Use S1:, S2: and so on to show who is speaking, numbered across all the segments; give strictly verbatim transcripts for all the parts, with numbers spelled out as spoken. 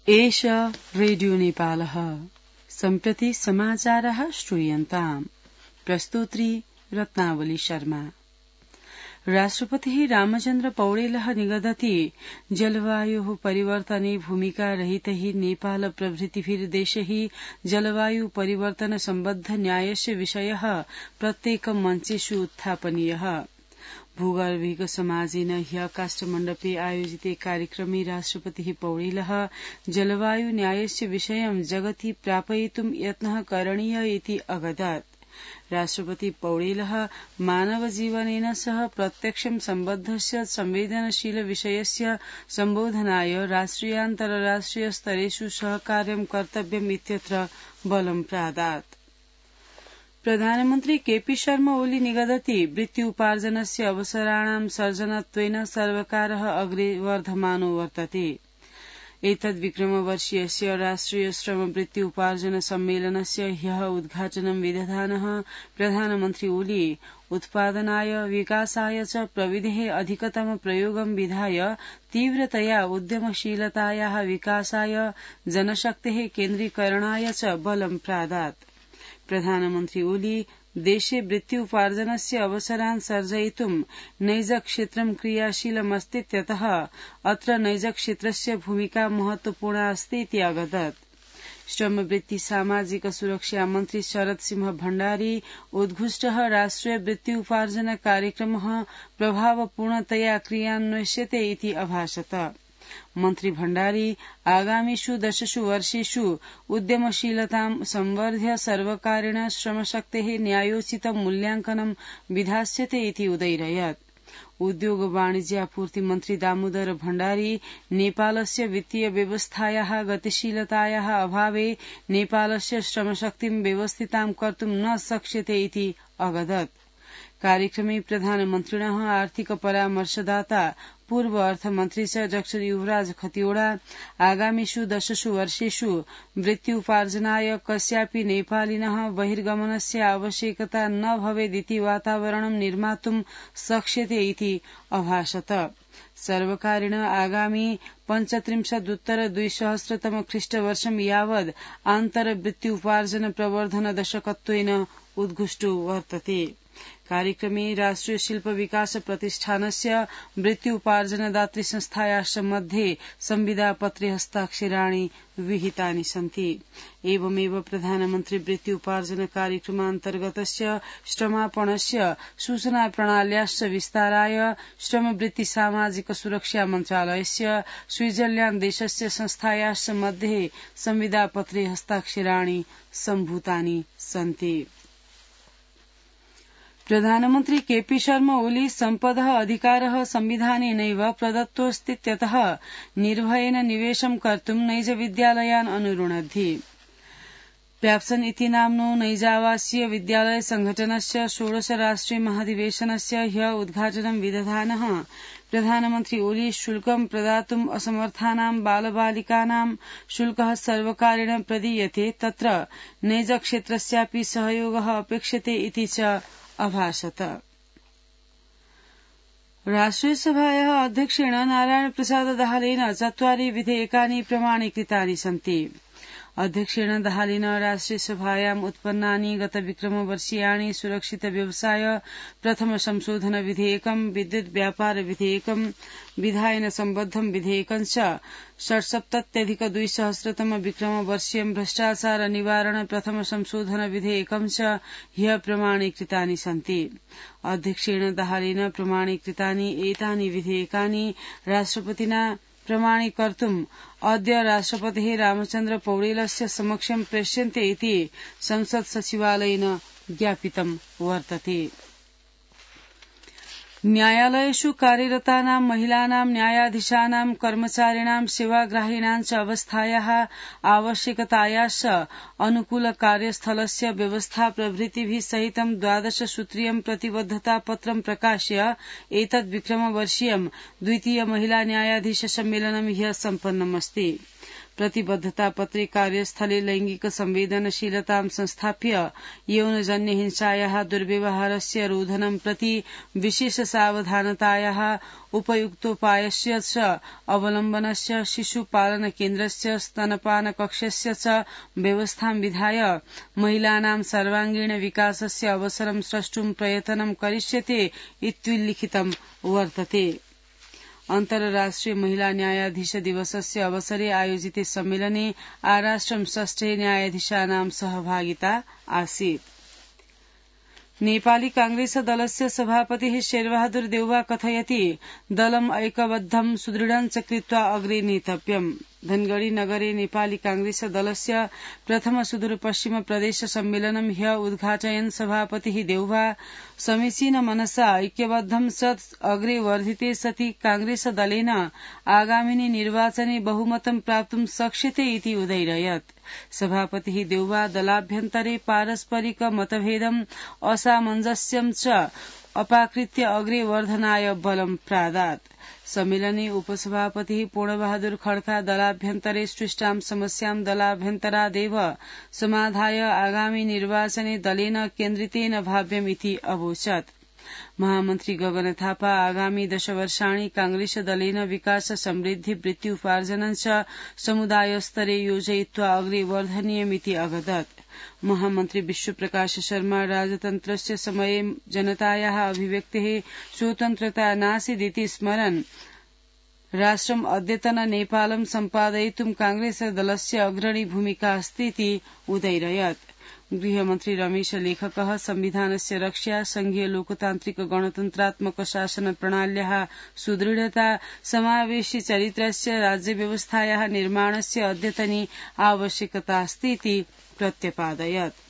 S1: एष रेडियो नेपालः सम्प्रति समाचारः श्रूयन्ताम्। प्रस्तोत्री रत्नावली शर्मा। राष्ट्रपतिः रामचन्द्र पौडेलः निगदति जलवायोः परिवर्तने भूमिका रहितैः नेपाल प्रभृतिभिः देशैः जलवायु परिवर्तन सम्बद्ध न्यायस्य विषयः प्रत्येकं मञ्चेषु उत्थापनीयः। भूगर्भिक समाजेन ह्य काष्ठमण्डपे आयोजिते कार्यक्रमे राष्ट्रपतिः पौडेलः जलवायु न्यायस्य विषयं जगति प्रापयितुं यत्नः करणीय इति अगदत्। राष्ट्रपति पौडेलः मानवजीवनेन सह प्रत्यक्षं सम्बद्धस्य संवेदनशील विषयस्य सम्बोधनाय राष्ट्रियान्तरराष्ट्रिय स्तरेषु सहकार्यं कर्तव्यम् इत्यत्र बलं प्रादात्। प्रधानमन्त्री केपी शर्मा ओली निगदति वृत्त्युपार्जनस्य अवसराणां सर्जनत्वेन सर्वकारः अग्रे वर्धमानो वर्तते। एतद्विक्रमवर्षीयस्य राष्ट्रिय श्रम वृत्त्युपार्जन सम्मेलनस्य ह्यः उद्घाटनं विदधानः प्रधानमन्त्री ओली उत्पादनाय विकासाय च प्रविधेः अधिकतम प्रयोगं विधाय तीव्रतया उद्यमशीलतायाः विकासाय जनशक्तेः केन्द्रीकरणाय च बलं प्रादात्। प्रधानमन्त्री ओली देशे वृत्त्युपार्जनस्य अवसरान् सर्जयितुं नैजक्षेत्रं क्रियाशीलमस्तीत्यतः अत्र नैजक्षेत्रस्य भूमिका महत्वपूर्णा अस्ति इति अगदत्। श्रमवृत्ति सामाजिक सुरक्षा मन्त्री शरद सिंह भण्डारी उद्घुष्टः राष्ट्रिय वृत्त्युपार्जन कार्यक्रमः प्रभावपूर्णतया क्रियान्वयस्यते इति अभाषत। मन्त्री भण्डारी आगामिषु दशसु वर्षेषु उद्यमशीलतां संवर्ध्य सर्वकारेण श्रमशक्तेः न्यायोचितं मूल्याङ्कनं विधास्यते इति उदैरयत्। उद्योग वाणिज्यापूर्ति मन्त्री दामोदर भण्डारी नेपालस्य वित्तीय व्यवस्थायाः गतिशीलतायाः अभावे नेपालस्य श्रमशक्तिं व्यवस्थितां कर्तुं न शक्यते इति अगदत्। कार्यक्रमे प्रधानमन्त्रिणः आर्थिक परामर्शदाता पूर्व अर्थमन्त्री च डाक्टर युवराज खतिवड़ा आगामिषु दशसु वर्षेषु वृत्त्युपार्जनाय कस्यापि नेपालिनः बहिर्गमनस्य आवश्यकता न भवेदिति वातावरणं निर्मातुं शक्यते इति अभाषत। सर्वकारेण आगामी पञ्चत्रिंशदुत्तर द्विसहस्रतम ख्रीष्टवर्षं यावद् आन्तरवृत्त्युपार्जन प्रवर्धन दशकत्वेन उद्घुष्टो वर्तते। कार्यक्रमे राष्ट्रिय शिल्प विकास प्रतिष्ठानस्य वृत्त्युपार्जनदात्री संस्थायाश्च मध्ये संविदापत्रे हस्ताक्षराणि विहितानि सन्ति। एवमेव प्रधानमन्त्री वृत्त्युपार्जन कार्यक्रमान्तर्गतस्य श्रमापणस्य सूचना प्रणाल्याश्च विस्ताराय श्रमवृत्ति सामाजिक सुरक्षा मन्त्रालयस्य स्विट्जरल्याण्ड देशस्य संस्थायाश्च मध्ये संविदापत्रे हस्ताक्षराणि सम्भूतानि सन्ति। प्रधानमन्त्री केपी शर्मा ओली सम्पदः अधिकारः संविधानेनैव प्रदत्तोऽस्तीत्यतः निर्भयेन निवेशं कर्तुं नैजविद्यालयान् अनुरुणद्धि। प्याप्सन इति नाम्नो नैजावासीय विद्यालय संघटनस्य षोडश राष्ट्रिय महाधिवेशनस्य ह्य उद्घाटनं विदधानः प्रधानमन्त्री ओली शुल्कं प्रदातुम् असमर्थानां बालबालिकानां शुल्कः सर्वकारेण प्रदीयते तत्र नैजक्षेत्रस्यापि सहयोगः अपेक्षते इति च अभाषत। राष्ट्रियसभायाः अध्यक्षेण नारायण प्रसाद दाहालेन चत्वारि विधेयकानि प्रमाणीकृतानि सन्ति। अध्यक्षेण दाहालेन राष्ट्रियसभायाम् उत्पन्नानि गत विक्रमवर्षीयाणि सुरक्षित व्यवसाय प्रथम संशोधन विधेयकं विद्युत् व्यापार विधेयकं विधायन सम्बद्धं विधेयकं च षट्सप्तत्यधिक द्विसहस्रतम विक्रमवर्षीयं भ्रष्टाचार निवारण प्रथम संशोधन विधेयकं च ह्य प्रमाणीकृतानि सन्ति। अध्यक्षेण दाहालेन प्रमाणीकृतानि एतानि विधेयकानि राष्ट्रपतिना प्रमाणीकर्तुम् अद्य राष्ट्रपतिः रामचन्द्र पौडेलस्य समक्षं प्रेष्यन्ते इति संसत् सचिवालयेन ज्ञापितं वर्तते। न्यायालयेषु कार्यरतानां महिलानां न्यायाधीशानां कर्मचारिणां सेवाग्राहिणां च अवस्थायाः आवश्यकतायाश्च अनुकूल कार्यस्थलस्य व्यवस्था प्रभृतिभिः सहितं द्वादश सूत्रीयं प्रतिबद्धतापत्रं प्रकाश्य एतद् विक्रमवर्षीयं द्वितीय महिला न्यायाधीश सम्मेलनं ह्यः सम्पन्नमस्ति। प्रतिबद्धता पत्रे कार्यस्थले लैंगिक संवेदनशीलतां संस्थाप्य यौनजन्य हिंसायाः दुर्व्यवहारस्य रोधनं प्रति विशेष सावधानतायाः उपयुक्तोपायस्य च अवलम्बनस्य शिशुपालन केन्द्रस्य स्तनपान कक्षस्य च व्यवस्थां विधाय महिलानां सर्वांगीण विकासस्य अवसरं स्रष्टुं प्रयत्नं करिष्यते इत्युल्लिखितं वर्तते। अन्तर्राष्ट्रिय महिला न्यायाधीश दिवसस्य अवसरे आयोजिते सम्मेलने आराष्ट्रं षष्ठे न्यायाधीशानां सहभागिता आसीत्। नेपाली कांग्रेस दलस्य सभापतिः शेरबहादुर देउवा कथयति दलम् ऐक्यबद्धं सुदृढं च कृत्वा अग्रे नेतव्यम्। धनगढ़ी नगरे नेपाली कांग्रेस दलस्य प्रथम सुदूरपश्चिम प्रदेश सम्मेलनं ह्य उद्घाटयन् सभापतिः देउवा समीचीन मनसा ऐक्यबद्धं सत् अग्रे वर्धिते सति कांग्रेस दलेन आगामिनि निर्वाचने बहुमतं प्राप्तुं शक्यते इति उदैरयत्। सभापतिः देउवा दलाभ्यन्तरे पारस्परिक मतभेदम् असामञ्जस्यं च अपाकृत्य अग्रे वर्धनाय बलं प्रादात्। सम्मेलने उपसभापतिः पूर्णबहादुर खड्का दलाभ्यन्तरे सृष्टां समस्यां दलाभ्यन्तरादेव समाधाय आगामी निर्वाचने दलेन केन्द्रितेन भाव्यमिति अवोचत्। महामन्त्री गगन थापा आगामी दशवर्षाणि कांग्रेस दलेन विकास समृद्धि वृत्ति उपार्जनं च समुदायस्तरे योजयित्वा अग्रे वर्धनीयमिति अवदत्। महामन्त्री विश्वप्रकाश शर्मा राजतन्त्रस्य समये जनतायाः अभिव्यक्तेः स्वतन्त्रता नासीदिति स्मरन् राष्ट्रम् अद्यतन नेपालं सम्पादयितुं कांग्रेस दलस्य अग्रणी भूमिका अस्तीति उदैरयत्। गृहमन्त्री रमेश लेखकः संविधानस्य रक्षा संघीय लोकतान्त्रिक गणतन्त्रात्मक शासन प्रणाल्याः सुदृढता समावेशी चरित्रस्य राज्यव्यवस्थायाः निर्माणस्य अद्यतनी आवश्यकता अस्तीति प्रत्यपादयत्।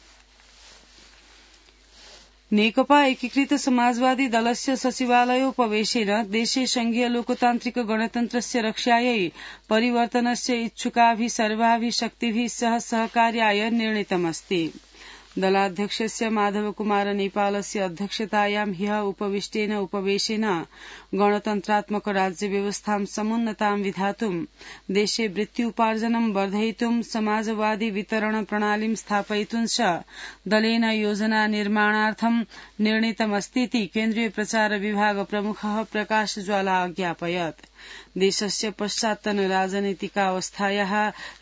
S1: नेकपा एकीकृत समाजवादी दलस्य सचिवालयोपवेशेन देशे संघीय लोकतान्त्रिक गणतन्त्रस्य रक्षायै परिवर्तनस्य इच्छुकाभिः सर्वाभिः शक्तिभिः सह सहकार्याय निर्णीतमस्ति। दलाध्यक्षस्य माधवकुमार नेपालस्य अध्यक्षतायां ह्यः उपविष्टेन उपवेशेन गणतन्त्रात्मक राज्यव्यवस्थां समुन्नतां विधातुं देशे वृत्त्युपार्जनं वर्धयितुं समाजवादी वितरण प्रणालीं स्थापयितुं च दलेन योजना निर्माणार्थं निर्णीतमस्तीति केन्द्रीय प्रचार विभाग प्रमुखः प्रकाश ज्वाला अज्ञापयत्। देशस्य पश्चात्तन राजनीतिकावस्थायाः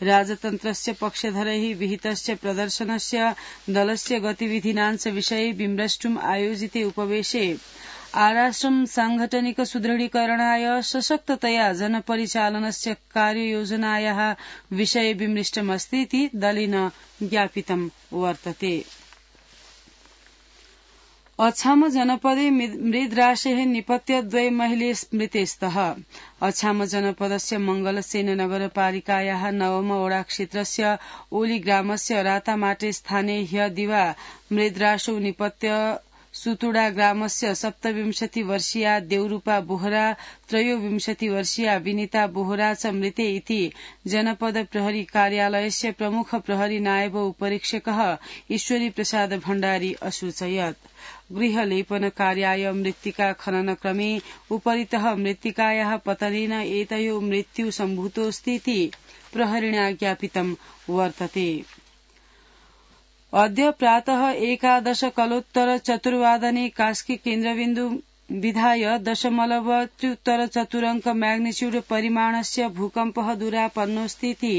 S1: राजतन्त्रस्य पक्षधरैः विहितस्य प्रदर्शनस्य दलस्य गतिविधीनाञ्च विषये विमृष्टुम् आयोजिते उपवेशे आराष्ट्रं सांगठनिक सुदृढीकरणाय सशक्ततया जनपरिचालनस्य कार्ययोजनायाः विषये विमृष्टमस्तीति दलेन ज्ञापितं वर्तते। अछाम जनपदे मृद्राशेः निपत्य द्वय महिले मृते स्तः। अछाम जनपदस्य मंगलसेन नगरपालिकायाः नवम वडा क्षेत्रस्य ओली ग्रामस्य रातामाटे स्थाने ह्य दिवा मृद्राशौ निपत्य सुतुडा ग्रामस्य सप्तविंशति वर्षीया देवरूपा बोहरा त्रयोविंशति वर्षीया विनीता बोहरा च मृते इति जनपद प्रहरी कार्यालयस्य प्रमुख प्रहरी नायब उपरीक्षकः ईश्वरी प्रसाद भण्डारी असूचयत्। गृहलेपन कार्याय मृत्तिका खनन क्रमे उपरितः मृत्तिकायाः पतनेन एतयोः मृत्यु सम्भूतोऽस्तीति प्रहरिणा ज्ञापितं वर्तते। अद्य प्रातः एकादश कलोत्तर चतुर्वादने कास्की केन्द्रबिन्दु विधाय दशमलव त्र्युत्तर चतुरंक मैग्निट्यूड परिमाणस्य भूकम्पः दुरापन्नोऽस्तीति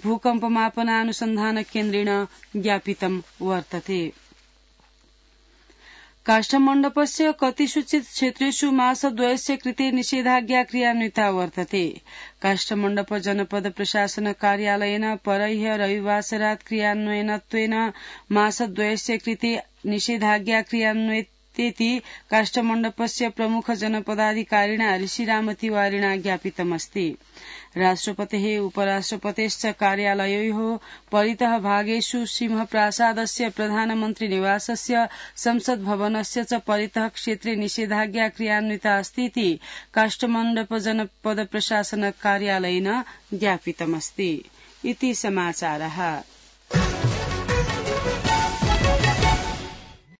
S1: भूकम्पमापनानुसन्धान केन्द्रेण ज्ञापितं वर्तते। काष्ठमण्डपस्य कतिषुचित् क्षेत्रेषु मासद्वयस्य कृते निषेधाज्ञा क्रियान्विता वर्तते। काष्ठमण्डप जनपद प्रशासन कार्यालयेन परह्य रविवासरात् क्रियान्वयनत्वेन मासद्वयस्य कृते निषेधाज्ञा क्रियान्वितेति काष्ठमण्डपस्य प्रमुख जनपदाधिकारिणा ऋषिराम तिवारिणा ज्ञापितमस्ति। राष्ट्रपतेः उपराष्ट्रपतेश्च कार्यालययोः परितः भागेषु सिंहप्रासादस्य प्रधानमन्त्री निवासस्य संसद् भवनस्य च परितः क्षेत्रे निषेधाज्ञा क्रियान्विता अस्तीति काष्ठमण्डप जनपद प्रशासन कार्यालयेन ज्ञापितमस्ति। इति समाचारः।